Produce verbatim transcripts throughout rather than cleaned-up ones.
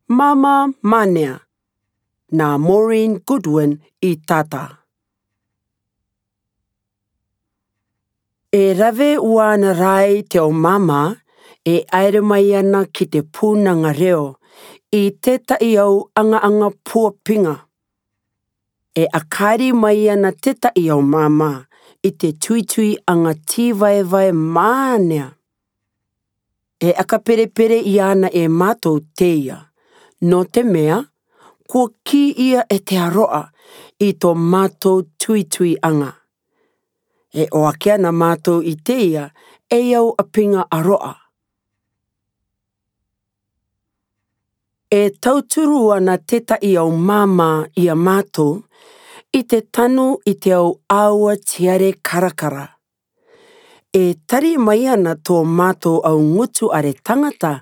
Māmā Mānea, na Maureen Goodwin i tata. E rave uana rai te ao māmā e aere mai ana ki te pūnanga reo i tētahi ao aŋa-aŋa puapinga. E akari mai ana tētahi ao māmā i te tuitui-aŋa tīvaevae mānea. E akaperepere iāna e mātou teia, nō te mea kua kī ia e te aroha i tō mātou tuitui-aŋa. E oaki ana mātou i teia ei ao apinga aroha. E tauturu ana tētahi ao māmā i a mātou i te tanu i te ao aua tiare karakara. E tari mai ana tō mātou ao ngutu are tangata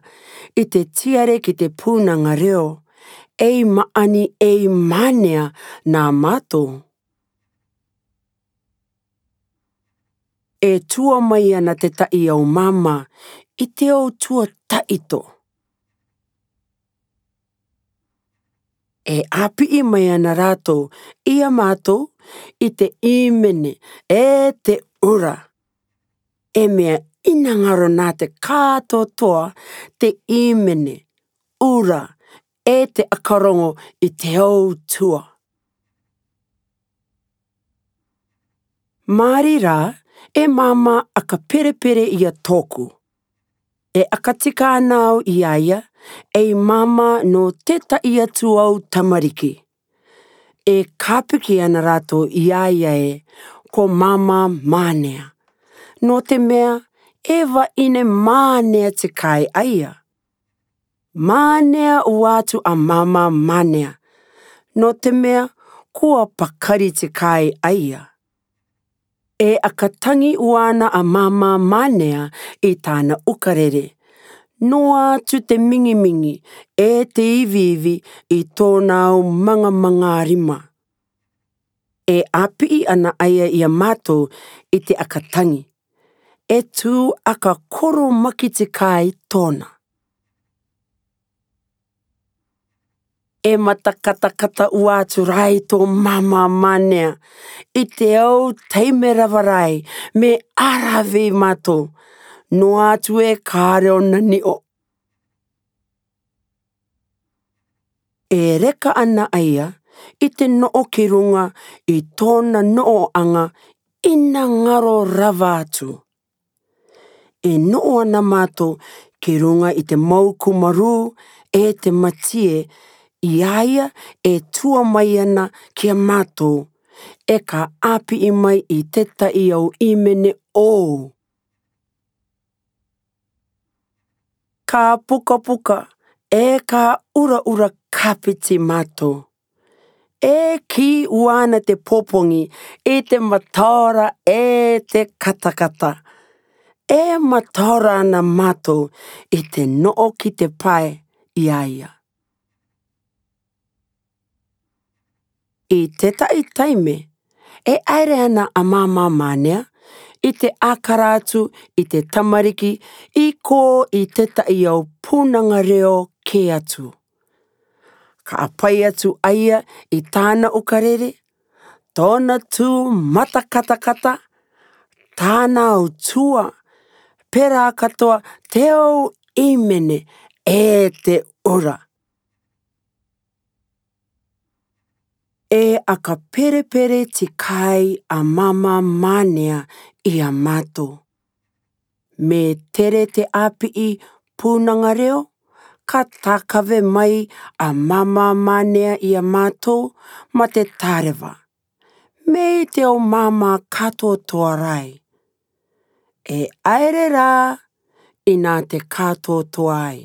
i te tiare ki te pūnanga reo, ei māʻani, ei mānea nā mātou. E tua mai ana tētahi ao māmā i te ao tuataʻito. E ʻāpiʻi mai ana rātou i a mātou i te ʻīmene e te ura. E mea ʻinangaro nā te kātoatoa te ʻīmene, ura, e te ʻakarongo i te ao tua. Māri rā e māmā ʻakaperepere i a tōku. E ʻakatika ana au i a ia ei māmā nō tētahi atu ao tamariki. E kāpiki ana rātou i a ia e ko Māmā Mānea, nō te mea e vaʻine mānea te kāi a ia. Mānea ua atu a Māmā Mānea, nō te mea kua pakari te kāi a ia. E ʻakatangi ua ana a Māmā Mānea i tāna ʻukarere, noa atu te mingimingī e te iviivi i tōna ao maŋamaŋā rima. E ʻāpiʻi ana a ia i a mātou i te ʻakatangi. E tū ʻakakoromaki te kāi tōna. E matakatakata ua atu rā i tō Māmā Mānea i te ao taime rava rā, me ʻārave i mātou, noa atu e kare ōna niʻo. E reka ana a ia i te noʻo ki ruŋa i tōna noʻoaŋa ʻinangaro rava atu. E noʻo ana mātou ki ruŋa i te mau kū marū e te matie, i a ia e tua mai ana ki a mātou, e ka ʻāpiʻi mai i tētahi ao ʻīmene ʻou. Ka pukapuka e ka uraura kāpiti mātou. E kī ua ana te pōpoŋi i te mataora e te katakata. E mataora ana mātou i te noʻo ki te pae i a ia. I tētahi taime e ʻaere ana a Māmā Mānea i te ʻākara atu i te tamariki i kō i tētahi ao pūnaŋa reo kē atu. Ka ʻapai atu a ia i tāna ʻukarere, tōna tū matakatakata, tāna ao tua, pērā katoa te ao ʻīmene e te ura. E ʻakaperepere te kāi a Māmā Mānea i a mātou. Me tere te ʻāpiʻi pūnaŋa reo, ka tākave mai a Māmā Mānea i a mātou ma te tāreva. Mei te ao māmā kātoatoa rā. E ʻaere rā ʻi nā te kātoatoa ai.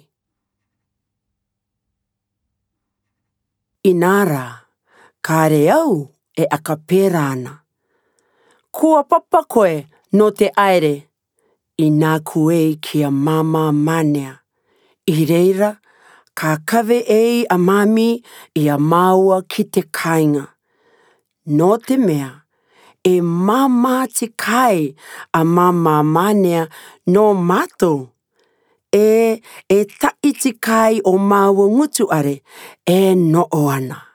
ʻInā rā, kāre au e ʻakapē rā ana. Kua papa koe nō te ʻaere, i nā kū ei ki a Māmā Mānea. I reira, ka kave ei a Māmī i a māua ki te kāiŋa. Nō te mea, e māmā te kāi a Māmā Mānea nō mātou. ē, e ta'i ti kai o ma'u o ngutu are, e no'o ana.